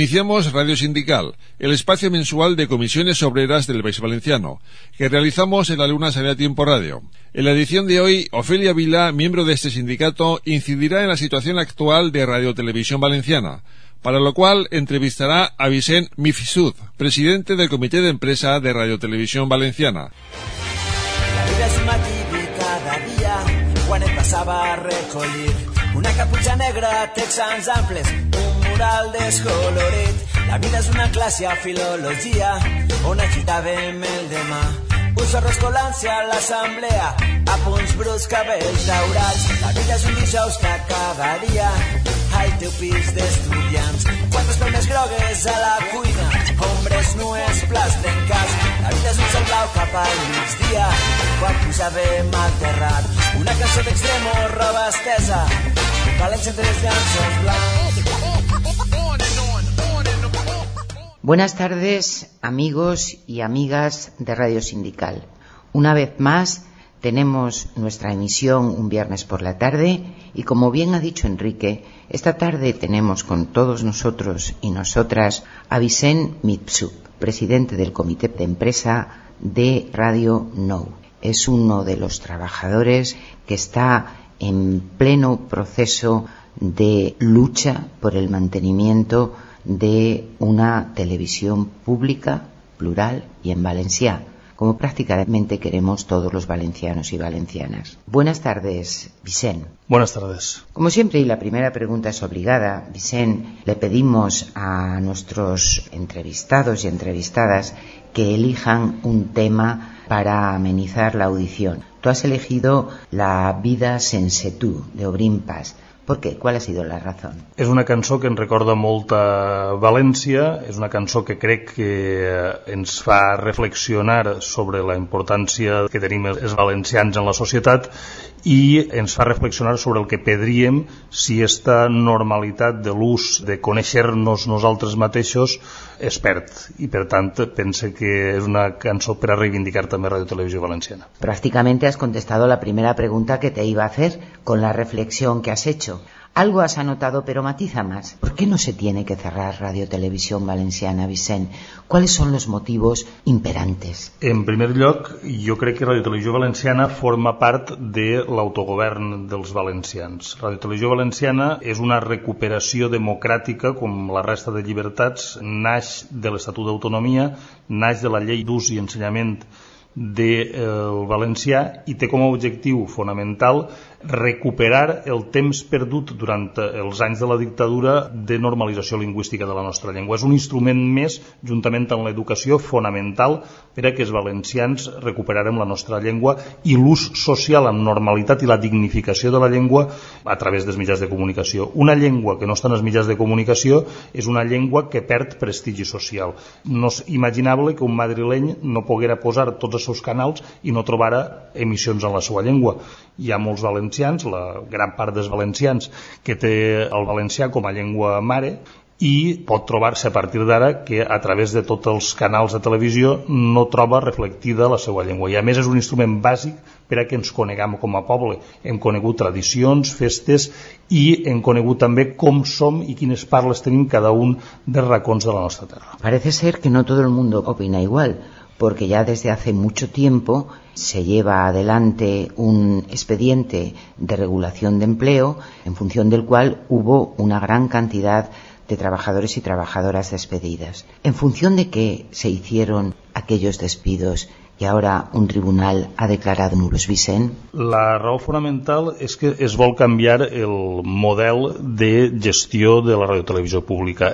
Iniciamos Radio Sindical, el espacio mensual de comisiones obreras del País Valenciano, que realizamos en la Luna Sale Tiempo Radio. En la edición de hoy, Ofelia Vila, miembro de este sindicato, incidirá en la situación actual de Radio Televisión Valenciana, para lo cual entrevistará a Vicent Mifsud, presidente del Comité de Empresa de Radio Televisión Valenciana. La vida és un matí de cada dia, quan et passava a recollir una caputxa negra, texans amples, un mural descolorit. La vida és una classe a filologia, on agitàvem el demà. Un sorros colant-se a l'assemblea, a punts bruts, cabells daurats. La vida és un dijous que cada dia al teu pis d'estudiants. Quantes pelmes grogues a la cuina, ombres nues, plats trencats. La vida és un cel blau cap al migdia, quan posàvem al terrat. Una cançó d'extremo, roba estesa, valents entre els llanços blancs. Buenas tardes, amigos y amigas de Radio Sindical. Una vez más tenemos nuestra emisión un viernes por la tarde y, como bien ha dicho Enrique, esta tarde tenemos con todos nosotros y nosotras a Vicent Mifsud, presidente del Comité de Empresa de Radio Nou. Es uno de los trabajadores que está en pleno proceso de lucha por el mantenimiento de una televisión pública, plural y en valencià, como prácticamente queremos todos los valencianos y valencianas. Buenas tardes, Vicent. Buenas tardes. Como siempre, y la primera pregunta es obligada, Vicent, le pedimos a nuestros entrevistados y entrevistadas que elijan un tema para amenizar la audición. Tú has elegido La vida sense tu, de Obrim Pas. ¿Por qué? ¿Cuál ha sido la razón? És una cançó que ens recorda molt a València, és una cançó que crec que ens fa reflexionar sobre la importància que tenim els valencians en la societat i ens fa reflexionar sobre el que perdríem si esta normalitat de l'ús de conèixer-nos nosaltres mateixos es perd. I per tant pense que és una cançó per a reivindicar també Radio Televisió Valenciana. Prácticamente has contestado la primera pregunta que te iba a hacer con la reflexión que has hecho. Algo has anotado, pero matiza más. ¿Por qué no se tiene que cerrar Radio Televisión Valenciana, Vicent? ¿Cuáles son los motivos imperantes? En primer lloc, jo crec que Radio Televisió Valenciana forma part de l'autogovern dels valencians. Radio Televisió Valenciana és una recuperació democràtica, com la resta de llibertats, naix de l'Estatut d'Autonomia, naix de la Llei d'Ús i Ensenyament del valencià i té com a objectiu fonamental recuperar el temps perdut durant els anys de la dictadura de normalització lingüística de la nostra llengua. És un instrument més, juntament amb l'educació, fonamental per a que els valencians recuperarem la nostra llengua i l'ús social amb normalitat i la dignificació de la llengua a través dels mitjans de comunicació. Una llengua que no està en els mitjans de comunicació és una llengua que perd prestigi social. No és imaginable que un madrileny no poguera posar tots els seus canals i no trobara emissions en la seva llengua. Hi ha molts valencians, la gran part dels valencians, que té el valencià com a llengua mare i pot trobar-se a partir d'ara que a través de tots els canals de televisió no troba reflectida la seva llengua. I a més és un instrument bàsic per a que ens coneguem com a poble. Hem conegut tradicions, festes i hem conegut també com som i quines parles tenim cada un dels racons de la nostra terra. Parece ser que no todo el mundo opina igual, porque ya desde hace mucho tiempo se lleva adelante un expediente de regulación de empleo en función del cual hubo una gran cantidad de trabajadores y trabajadoras despedidas. ¿En función de qué se hicieron aquellos despidos y ahora un tribunal ha declarado nulos, Vicent? La raó fonamental és que es vol canviar el model de gestió de la radiotelevisió pública.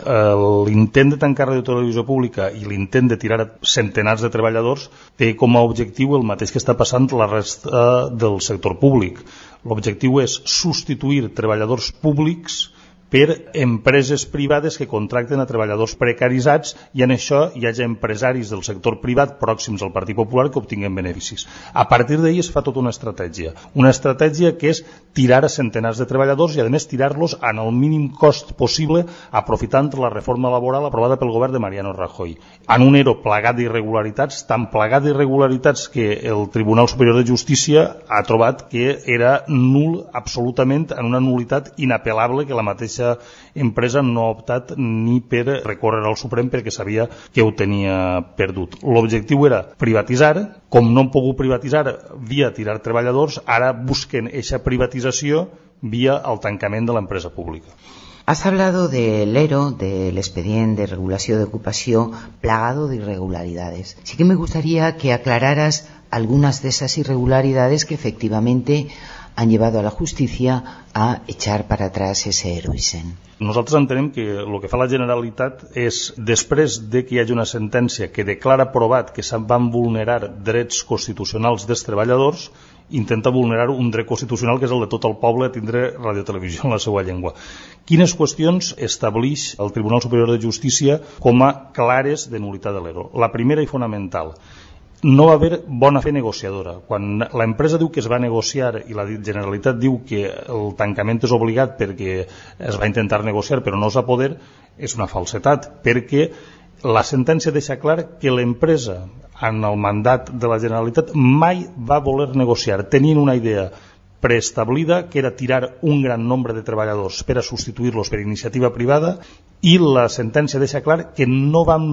L'intent de tancar radiotelevisió pública i l'intent de tirar centenars de treballadors té com a objectiu el mateix que està passant la resta del sector públic. L'objectiu és substituir treballadors públics per empreses privades que contracten a treballadors precaritzats i en això hi hagi empresaris del sector privat pròxims al Partit Popular que obtinguen beneficis. A partir d'ahí es fa tota una estratègia que és tirar a centenars de treballadors i a més tirar-los en el mínim cost possible aprofitant la reforma laboral aprovada pel govern de Mariano Rajoy. En un ERO plagat d'irregularitats, tan plagat d'irregularitats que el Tribunal Superior de Justícia ha trobat que era nul absolutament, en una nul·litat inapel·lable que la mateixa mateixa empresa no ha optat ni per recórrer al Suprem perquè sabia que ho tenia perdut. L'objectiu era privatitzar, com no han pogut privatitzar via tirar treballadors, ara busquen eixa privatització via el tancament de l'empresa pública. Has hablado del ERO, del expediente de regulación de ocupación, plagado de irregularidades. Sí que me gustaría que aclararas algunas de esas irregularidades que efectivamente han llevado a la justicia a echar para atrás ese ERO, Vicent. Nosaltres entenem que el que fa la Generalitat és, després de que hi hagi una sentència que declara provat que se'n van vulnerar drets constitucionals dels treballadors, intenta vulnerar un dret constitucional que és el de tot el poble a tindre radiotelevisió en la seva llengua. Quines qüestions estableix el Tribunal Superior de Justícia com a clares de nul·litat de l'ERO? La primera i fonamental: no va haver bona fe negociadora. Quan l'empresa diu que es va negociar i la Generalitat diu que el tancament és obligat perquè es va intentar negociar però no es va poder, és una falsetat, perquè la sentència deixa clar que l'empresa, en el mandat de la Generalitat, mai va voler negociar. Tenien una idea preestablida, que era tirar un gran nombre de treballadors per a substituir-los per iniciativa privada, i la sentència deixa clar que no van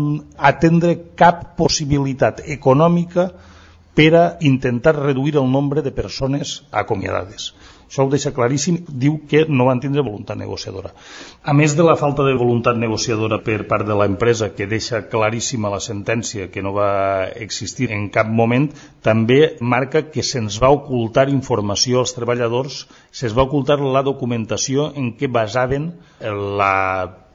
atendre cap possibilitat econòmica per a intentar reduir el nombre de persones acomiadades. Això ho deixa claríssim, diu que no van tindre voluntat negociadora. A més de la falta de voluntat negociadora per part de l'empresa, que deixa claríssima la sentència que no va existir en cap moment, també marca que se'ns va ocultar informació als treballadors, se'ns va ocultar la documentació en què basaven la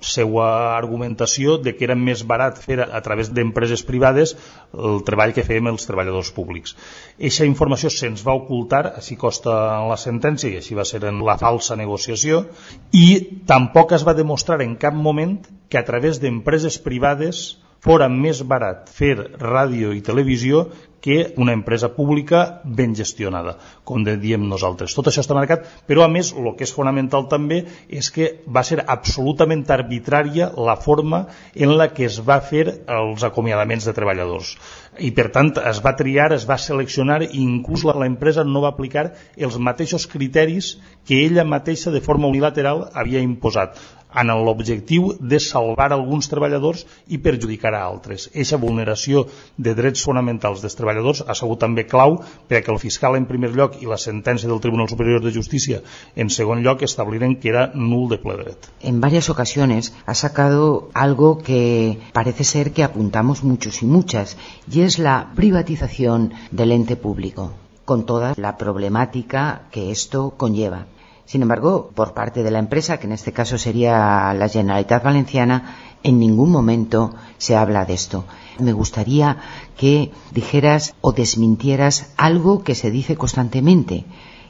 seva argumentació de que era més barat fer a través d'empreses privades el treball que fèiem els treballadors públics. Eixa informació se'ns va ocultar, així consta en la sentència, i així va ser en la falsa negociació, i tampoc es va demostrar en cap moment que a través d'empreses privades fora més barat fer ràdio i televisió que una empresa pública ben gestionada, com diem nosaltres. Tot això està marcat, però a més el que és fonamental també és que va ser absolutament arbitrària la forma en la que es va fer els acomiadaments de treballadors. I per tant es va triar, es va seleccionar, i inclús l'empresa no va aplicar els mateixos criteris que ella mateixa de forma unilateral havia imposat, en l'objectiu de salvar alguns treballadors i perjudicar a altres. Eixa vulneració de drets fonamentals dels treballadors ha sigut també clau perquè el fiscal en primer lloc i la sentència del Tribunal Superior de Justícia en segon lloc establiren que era nul de ple dret. En varias ocasiones ha sacado algo que parece ser que apuntamos muchos y muchas, y es la privatización del ente público, con toda la problemática que esto conlleva. Sin embargo, por parte de la empresa, que en este caso sería la Generalitat Valenciana, en ningún momento se habla de esto. Me gustaría que dijeras o desmintieras algo que se dice constantemente,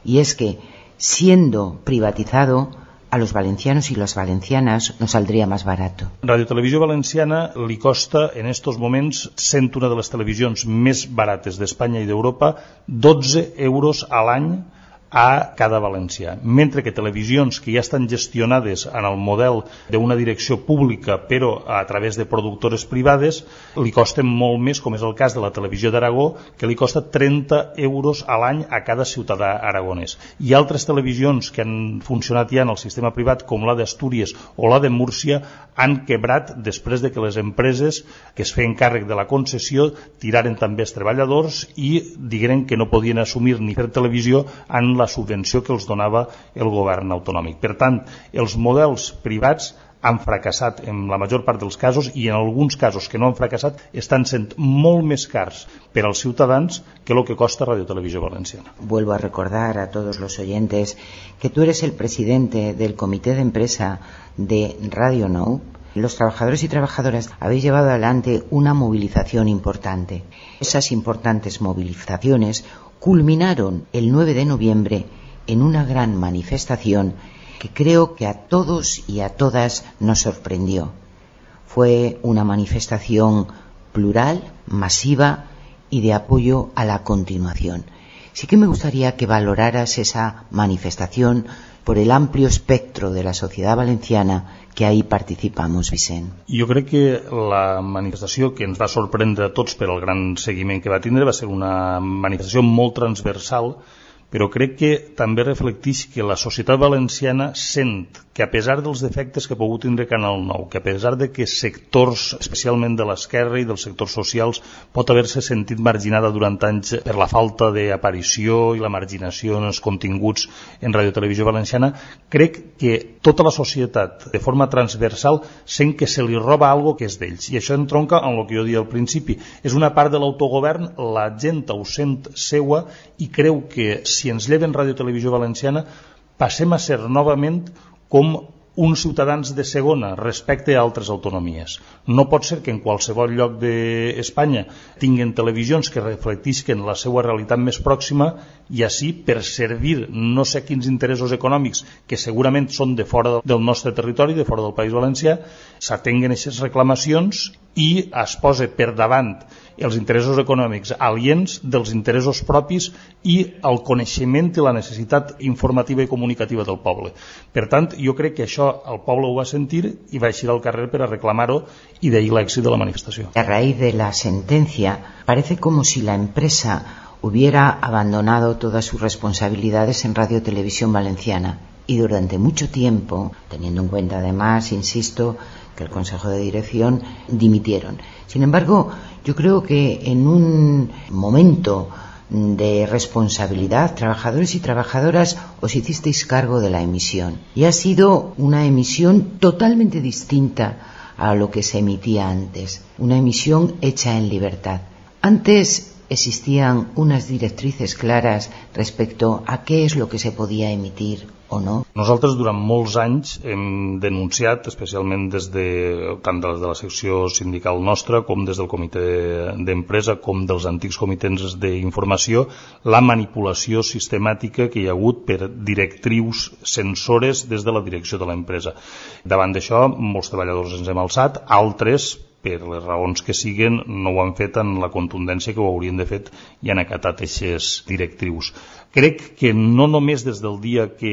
y es que, siendo privatizado, a los valencianos y las valencianas nos saldría más barato. Radio Televisió Valenciana li costa en estos moments, sent una de les televisions més barates d'Espanya i d'Europa, 12 euros a l'any a cada valencià, mentre que televisions que ja estan gestionades en el model d'una direcció pública però a través de productores privades li costen molt més, com és el cas de la Televisió d'Aragó, que li costa 30 euros a l'any a cada ciutadà aragonès. I altres televisions que han funcionat ja en el sistema privat, com la d'Astúries o la de Múrcia, han quebrat després de que les empreses que es feien càrrec de la concessió tiraren també els treballadors i digueren que no podien assumir ni fer televisió en la subvenció que els donava el govern autonòmic. Per tant, els models privats han fracassat en la major part dels casos, i en alguns casos que no han fracassat estan sent molt més cars per als ciutadans que el que costa Radio Televisió Valenciana. Vuelvo a recordar a todos los oyentes que tú eres el presidente del comité de empresa de Radio Nou. Los trabajadores y trabajadoras habéis llevado adelante una movilización importante. Esas importantes movilizaciones culminaron el 9 de noviembre en una gran manifestación que creo que a todos y a todas nos sorprendió. Fue una manifestación plural, masiva y de apoyo a la continuación. Sí que me gustaría que valoraras esa manifestación por el amplio espectro de la sociedad valenciana que ahí participamos, Vicent. Jo crec que la manifestació que ens va sorprendre a tots per el gran seguiment que va tindre va ser una manifestació molt transversal, però crec que també reflecteix que la societat valenciana sent que a pesar dels defectes que ha pogut tindre Canal 9, que a pesar de que sectors, especialment de l'esquerra i dels sectors socials, pot haver-se sentit marginada durant anys per la falta d'aparició i la marginació en els continguts en Ràdio Televisió Valenciana, crec que tota la societat, de forma transversal, sent que se li roba algo que és d'ells. I això entronca amb el que jo deia al principi. És una part de l'autogovern, la gent ho sent seua i creu que si ens lleven Ràdio Televisió Valenciana passem a ser novament com uns ciutadans de segona respecte a altres autonomies. No pot ser que en qualsevol lloc d'Espanya tinguen televisions que reflectisquen la seva realitat més pròxima i així, per servir no sé quins interessos econòmics que segurament són de fora del nostre territori, de fora del País Valencià, s'atenguen aquestes reclamacions i es posa per davant els interessos econòmics aliens dels interessos propis i el coneixement i la necessitat informativa i comunicativa del poble. Per tant, jo crec que això el poble ho va sentir i va eixir al carrer per a reclamar-ho i d'ahir l'èxit de la manifestació. A raíz de la sentencia, parece como si la empresa hubiera abandonado todas sus responsabilidades en Radio Televisión Valenciana y durante mucho tiempo, teniendo en cuenta además, insisto, que el Consejo de Dirección dimitieron. Sin embargo, yo creo que en un momento de responsabilidad, trabajadores y trabajadoras, os hicisteis cargo de la emisión. Y ha sido una emisión totalmente distinta a lo que se emitía antes. Una emisión hecha en libertad. Antes existían unas directrices claras respecto a qué es lo que se podía emitir o no. Nosaltres durant molts anys hem denunciat, especialment tant de la secció sindical nostra com des del comitè d'empresa com dels antics comitès d'informació, la manipulació sistemàtica que hi ha hagut per directrius censores des de la direcció de l'empresa. Davant d'això, molts treballadors ens hem alçat, altres per les raons que siguen, no ho han fet en la contundència que ho haurien de fet i han acatat aquestes directrius. Crec que no només des del dia que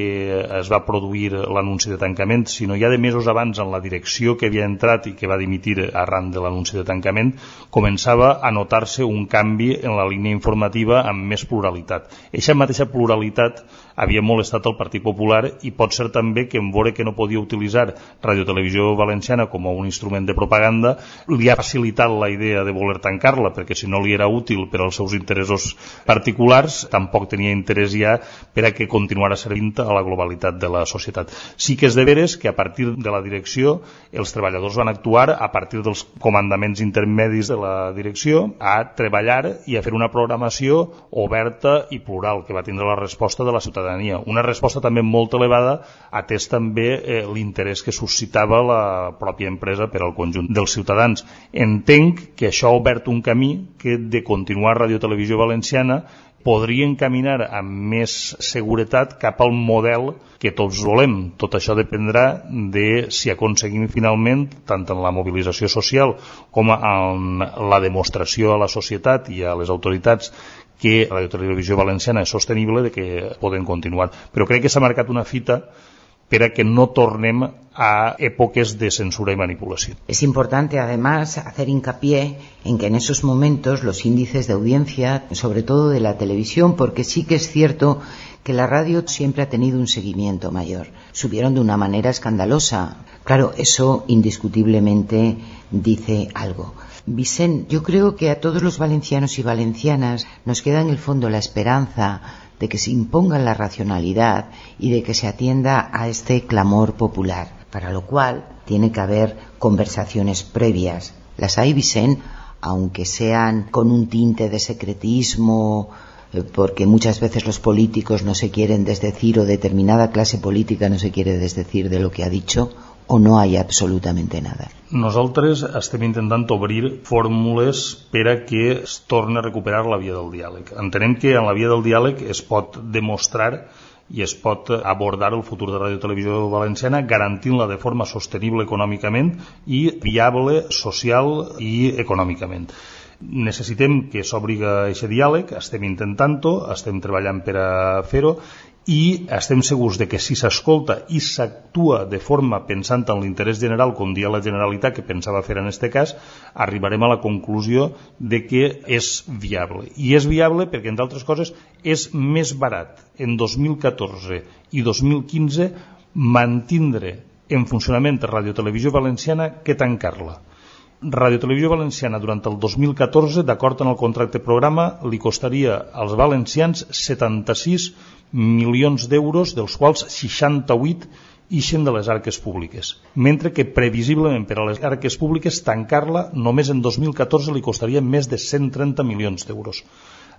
es va produir l'anunci de tancament, sinó ja de mesos abans en la direcció que havia entrat i que va dimitir arran de l'anunci de tancament, començava a notar-se un canvi en la línia informativa amb més pluralitat. Eixa mateixa pluralitat havia molestat el Partit Popular i pot ser també que en veure que no podia utilitzar Radio Televisió Valenciana com a un instrument de propaganda, li ha facilitat la idea de voler tancar-la, perquè si no li era útil per als seus interessos particulars, tampoc tenia interès ja per a que continuara servint a la globalitat de la societat. Sí que és de veres que a partir de la direcció els treballadors van actuar a partir dels comandaments intermedis de la direcció a treballar i a fer una programació oberta i plural que va tindre la resposta de la ciutadania. Una resposta també molt elevada, atès també l'interès que suscitava la pròpia empresa per al conjunt dels ciutadans. Entenc que això ha obert un camí que de continuar Radio Televisió Valenciana podria encaminar amb més seguretat cap al model que tots volem. Tot això dependrà de si aconseguim finalment, tant en la mobilització social com en la demostració a la societat i a les autoritats que la Televisió Valenciana és sostenible, de que poden continuar. Però crec que s'ha marcat una fita para que no tornem a épocas de censura y manipulación. Es importante, además, hacer hincapié en que en esos momentos los índices de audiencia, sobre todo de la televisión, porque sí que es cierto que la radio siempre ha tenido un seguimiento mayor, subieron de una manera escandalosa. Claro, eso indiscutiblemente dice algo. Vicent, yo creo que a todos los valencianos y valencianas nos queda en el fondo la esperanza de que se imponga la racionalidad y de que se atienda a este clamor popular, para lo cual tiene que haber conversaciones previas. Las hay, Vicent, aunque sean con un tinte de secretismo, porque muchas veces los políticos no se quieren desdecir o determinada clase política no se quiere desdecir de lo que ha dicho, o no hay absolutamente nada. Nosaltres estem intentant obrir fórmules per a que es torni a recuperar la via del diàleg. Entenem que en la via del diàleg es pot demostrar i es pot abordar el futur de Ràdio Televisió Valenciana garantint-la de forma sostenible econòmicament i viable social i econòmicament. Necessitem que s'obri aquest diàleg, estem intentant-ho, estem treballant per a fer-ho, i estem segurs de que si s'escolta i s'actua de forma pensant en l'interès general, com dia la Generalitat que pensava fer en aquest cas, arribarem a la conclusió de que és viable. I és viable perquè, entre altres coses, és més barat en 2014 i 2015 mantindre en funcionament Ràdio Televisió Valenciana que tancar-la. Ràdio Televisió Valenciana durant el 2014, d'acord amb el contracte programa, li costaria als valencians 76 milions d'euros, dels quals 68 ixen de les arques públiques, mentre que previsiblement per a les arques públiques tancar-la només en 2014 li costaria més de 130 milions d'euros.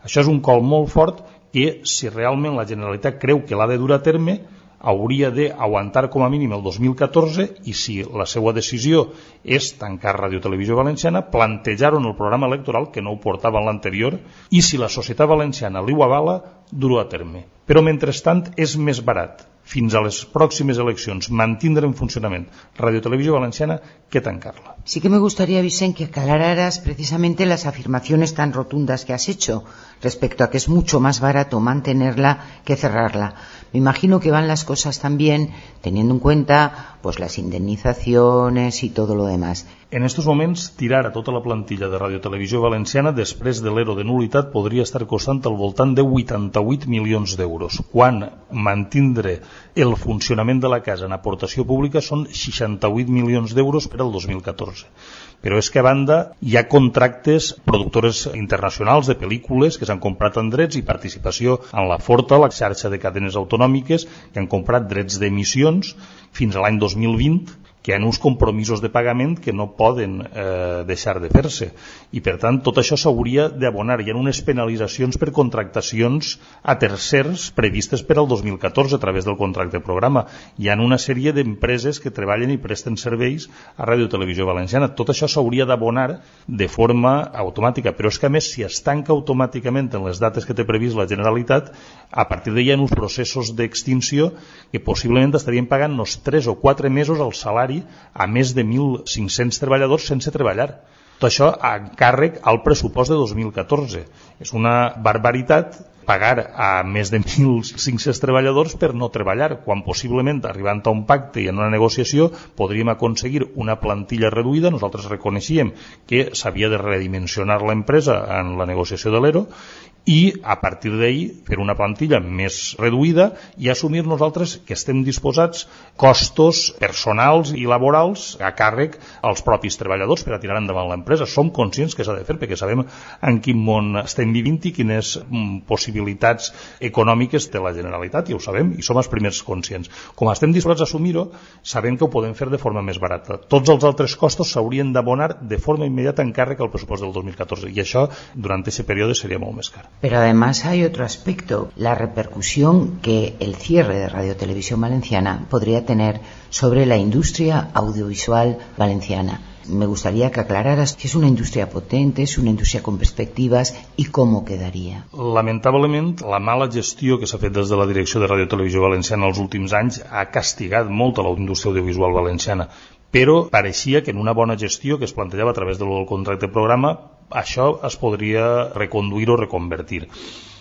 Això és un col molt fort que, si realment la Generalitat creu que l'ha de dur a terme, hauria d'aguantar com a mínim el 2014 i si la seva decisió és tancar Ràdio Televisió Valenciana, plantejar-ho en el programa electoral, que no ho portava en l'anterior, i si la societat valenciana li ho avala, dur-ho a terme. Però mentrestant és més barat fins a les pròximes eleccions mantindre en funcionament Ràdio Televisió Valenciana que tancarla. Sí que me gustaría, Vicent, que aclararas precisamente las afirmaciones tan rotundas que has hecho respecto a que es mucho más barato mantenerla que cerrarla. Me imagino que van las cosas también teniendo en cuenta pues las indemnizaciones y todo lo demás. En estos moments, tirar a tota la plantilla de Ràdio Televisió Valenciana després de l'ERO de nul·litat podria estar costant al voltant de 88 milions d'euros, quan mantindre el funcionament de la casa en aportació pública són 68 milions d'euros per al 2014. Però és que a banda hi ha contractes productores internacionals de pel·lícules que s'han comprat en drets i participació en la Forta, la xarxa de cadenes autonòmiques, que han comprat drets d'emissions fins a l'any 2020, que hi ha uns compromisos de pagament que no poden deixar de fer-se. I per tant tot això s'hauria d'abonar. Hi ha unes penalitzacions per contractacions a tercers previstes per al 2014 a través del contracte programa. Hi ha una sèrie d'empreses que treballen i presten serveis a Ràdio Televisió Valenciana. Tot això s'hauria d'abonar de forma automàtica, però és que a més si es tanca automàticament en les dates que té previst la Generalitat, a partir d'ahir hi ha uns processos d'extinció que possiblement estarien pagant uns 3 o 4 mesos el salari a més de 1.500 treballadors sense treballar. Tot això a càrrec al pressupost de 2014. És una barbaritat pagar a més de 1.500 treballadors per no treballar, quan possiblement arribant a un pacte i en una negociació podríem aconseguir una plantilla reduïda. Nosaltres reconeixíem que s'havia de redimensionar l'empresa en la negociació de l'ERO i a partir d'ahir fer una plantilla més reduïda i assumir nosaltres que estem disposats costos personals i laborals a càrrec als propis treballadors per a tirar endavant l'empresa. Som conscients que s'ha de fer perquè sabem en quin món estem vivint i quines possibilitats econòmiques té la Generalitat, i ho sabem i som els primers conscients. Com estem disposats a assumir-ho, sabem que ho podem fer de forma més barata. Tots els altres costos s'haurien d'abonar de forma immediata en càrrec al pressupost del 2014 i això durant aquest període seria molt més car. Pero además hay otro aspecto, la repercusión que el cierre de Radio Televisión Valenciana podría tener sobre la industria audiovisual valenciana. Me gustaría que aclararas que es una industria potente, es una industria con perspectivas y cómo quedaría. Lamentablement, la mala gestió que s'ha fet des de la direcció de Radio Televisió Valenciana els últims anys ha castigat molt a la indústria audiovisual valenciana, però pareixia que en una bona gestió que es plantejava a través del contracte programa això es podria reconduir o reconvertir.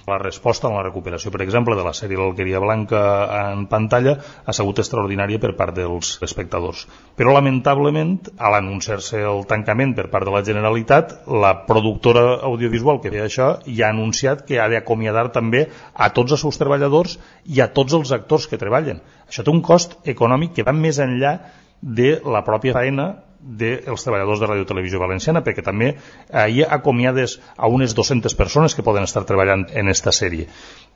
La resposta en la recuperació, per exemple, de la sèrie L'Alqueria Blanca en pantalla ha sigut extraordinària per part dels espectadors. Però, lamentablement, a l'anunciar-se el tancament per part de la Generalitat, la productora audiovisual que feia això ja ha anunciat que ha d'acomiadar també a tots els seus treballadors i a tots els actors que treballen. Això té un cost econòmic que va més enllà de la pròpia feina dels treballadors de Ràdio Televisió Valenciana, perquè també hi acomiades a unes 200 persones que poden estar treballant en esta sèrie.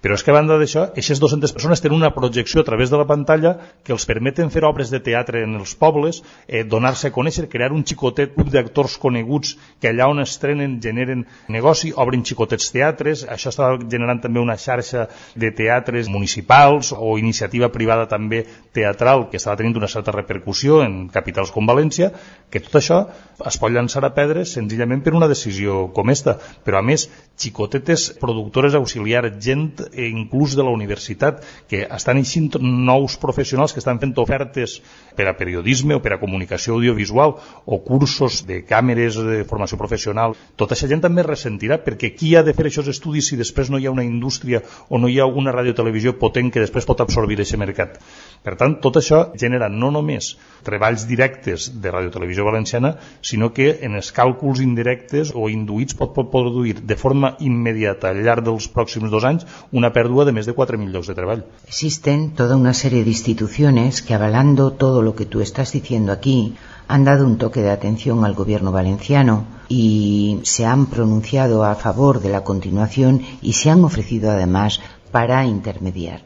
Però és que a banda d'això, aquestes 200 persones tenen una projecció a través de la pantalla que els permeten fer obres de teatre en els pobles, donar-se a conèixer, crear un xicotet grup d'actors coneguts que allà on estrenen generen negoci, obren xicotets teatres. Això està generant també una xarxa de teatres municipals o iniciativa privada també teatral que està tenint una certa repercussió en capitals com València, que tot això es pot llançar a pedres senzillament per una decisió com esta. Però a més, xicotetes productores auxiliars, gent inclús de la universitat, que estan eixint nous professionals que estan fent ofertes per a periodisme o per a comunicació audiovisual o cursos de càmeres de formació professional. Tota aquesta gent també ressentirà, perquè qui ha de fer aquests estudis si després no hi ha una indústria o no hi ha una radiotelevisió potent que després pot absorbir aquest mercat? Per tant, tot això genera no només treballs directes de Radiotelevisió Valenciana, sinó que en els càlculs indirectes o induïts pot produir de forma immediata al llarg dels pròxims 2 anys una pèrdua de més de 4.000 llocs de treball. Existen toda una serie de instituciones que, avalando todo lo que tú estás diciendo aquí, han dado un toque de atención al gobierno valenciano y se han pronunciado a favor de la continuación y se han ofrecido además para intermediar.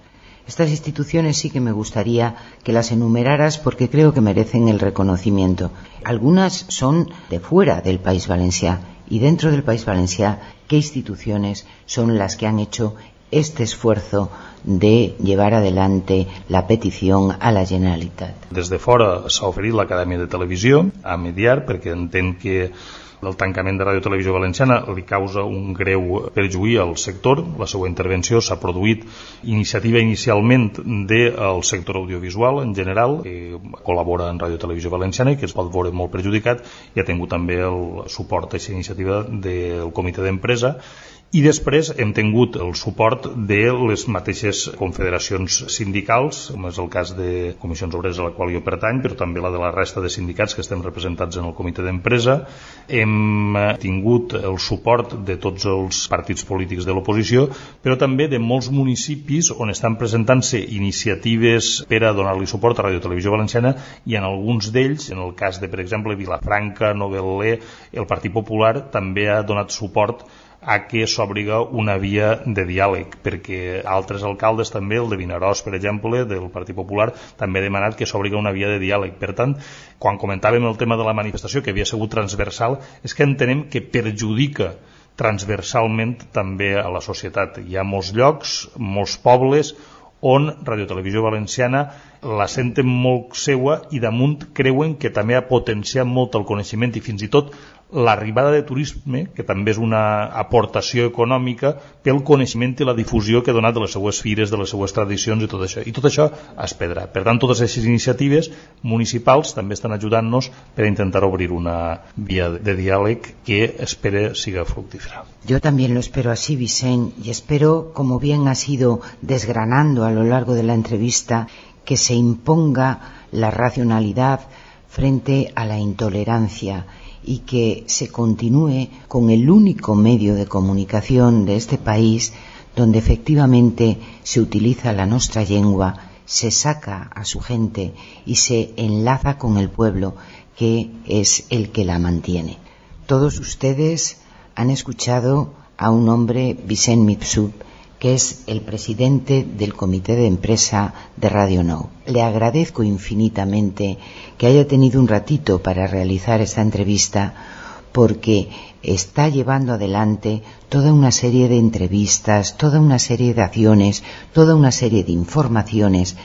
Estas instituciones sí que me gustaría que las enumeraras porque creo que merecen el reconocimiento. Algunas son de fuera del País Valencià y dentro del País Valencià, ¿qué instituciones son las que han hecho este esfuerzo de llevar adelante la petición a la Generalitat? Des de fora s'ha oferit l'Acadèmia de Televisió a mediar perquè entén que el tancament de Radiotelevisió Valenciana li causa un greu perjuí al sector. La seva intervenció s'ha produït iniciativa inicialment del sector audiovisual en general, que col·labora en Radiotelevisió Valenciana i que es pot veure molt perjudicat, i ha tingut també el suport a aquesta iniciativa del comitè d'empresa. I després hem tingut el suport de les mateixes confederacions sindicals, com és el cas de Comissions Obreres a la qual jo pertany, però també la de la resta de sindicats que estem representats en el comitè d'empresa. Hem tingut el suport de tots els partits polítics de l'oposició, però també de molts municipis on estan presentant-se iniciatives per a donar-li suport a Radiotelevisió Valenciana, i en alguns d'ells, en el cas de, per exemple, Vilafranca, Novetlè, el Partit Popular també ha donat suport a que s'obriga una via de diàleg, perquè altres alcaldes també, el de Vinaròs, per exemple, del Partit Popular, també ha demanat que s'obriga una via de diàleg. Per tant, quan comentàvem el tema de la manifestació, que havia sigut transversal, és que entenem que perjudica transversalment també a la societat. Hi ha molts llocs, molts pobles, on Radiotelevisió Valenciana la senten molt seua i damunt creuen que també ha potenciat molt el coneixement i fins i tot l'arribada de turisme, que també és una aportació econòmica pel coneixement i la difusió que ha donat de les seues fires, de les seues tradicions i tot això. I tot això es perdrà. Per tant, totes aquestes iniciatives municipals també estan ajudant-nos per a intentar obrir una via de diàleg que espero siga fructífera. Yo también lo espero así, Vicent, y espero, como bien has ido desgranando a lo largo de la entrevista, que se imponga la racionalidad frente a la intolerancia y que se continúe con el único medio de comunicación de este país donde efectivamente se utiliza la nostra llengua, se saca a su gente y se enlaza con el pueblo, que es el que la mantiene. Todos ustedes han escuchado a un hombre, Vicent Mifsud, que es el presidente del comité de empresa de Radio Nou. Le agradezco infinitamente que haya tenido un ratito para realizar esta entrevista, porque está llevando adelante toda una serie de entrevistas, toda una serie de acciones, toda una serie de informaciones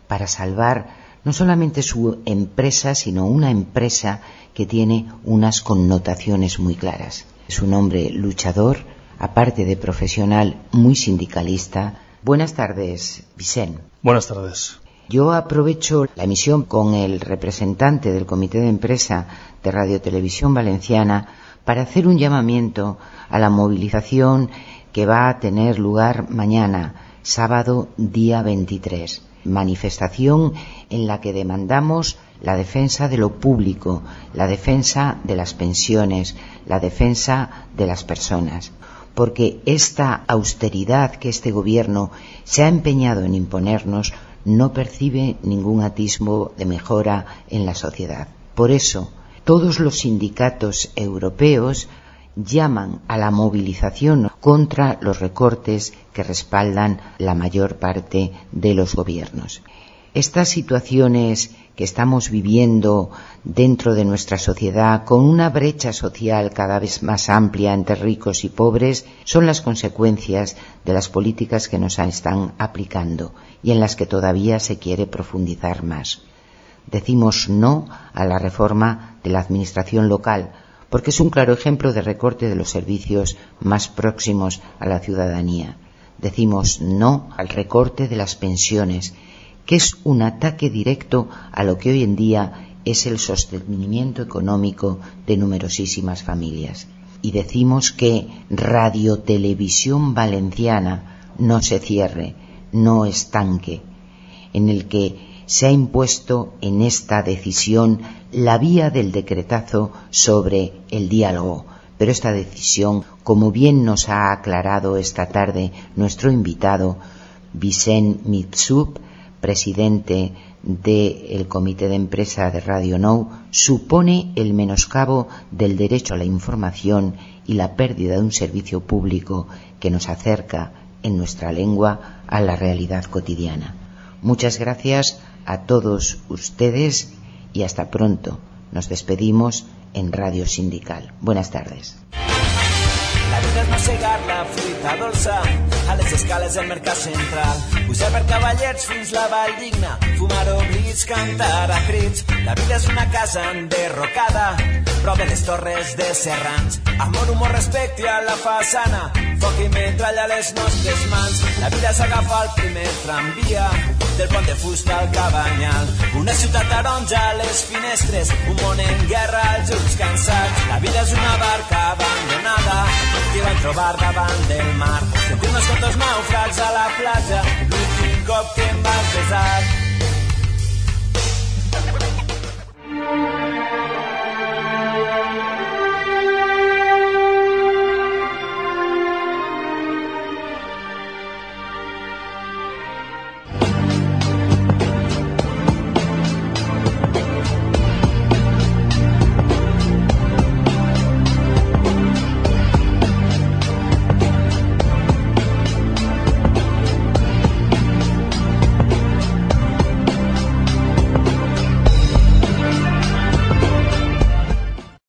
para salvar no solamente su empresa, sino una empresa que tiene unas connotaciones muy claras. Es un hombre luchador, aparte de profesional, muy sindicalista. Buenas tardes, Vicent. Buenas tardes. Yo aprovecho la emisión con el representante del Comité de Empresa de Radiotelevisión Valenciana para hacer un llamamiento a la movilización que va a tener lugar mañana, sábado día 23. Manifestación en la que demandamos la defensa de lo público, la defensa de las pensiones, la defensa de las personas. Porque esta austeridad que este gobierno se ha empeñado en imponernos no percibe ningún atisbo de mejora en la sociedad. Por eso, todos los sindicatos europeos llaman a la movilización contra los recortes que respaldan la mayor parte de los gobiernos. Estas situaciones que estamos viviendo dentro de nuestra sociedad, con una brecha social cada vez más amplia entre ricos y pobres, son las consecuencias de las políticas que nos están aplicando y en las que todavía se quiere profundizar más. Decimos no a la reforma de la administración local, porque es un claro ejemplo de recorte de los servicios más próximos a la ciudadanía. Decimos no al recorte de las pensiones, que es un ataque directo a lo que hoy en día es el sostenimiento económico de numerosísimas familias. Y decimos que Radio Televisión Valenciana no se cierre, no estanque, en el que se ha impuesto en esta decisión la vía del decretazo sobre el diálogo. Pero esta decisión, como bien nos ha aclarado esta tarde nuestro invitado, Vicent Mitsub, presidente del Comité de Empresa de Radio Nou, supone el menoscabo del derecho a la información y la pérdida de un servicio público que nos acerca en nuestra lengua a la realidad cotidiana. Muchas gracias a todos ustedes y hasta pronto. Nos despedimos en Radio Sindical. Buenas tardes. La vida és mossegar la fruita dolça a les escales del mercat central, pujar per cavallets fins la Vall Digna, fumar oblits, cantar a crits. La vida és una casa enderrocada prop de les torres de Serrans, amor, humor, respecte a la façana, foc i metralla a les nostres mans. La vida és agafar el primer tramvia del pont de fusta al Cabanyal, una ciutat taronja a les finestres, un món en guerra, els ulls cansats. La vida és una barca abandonada que van trobar davant del mar, sentir-nos com dos nàufrags a la platja, l'últim cop que em va pesar.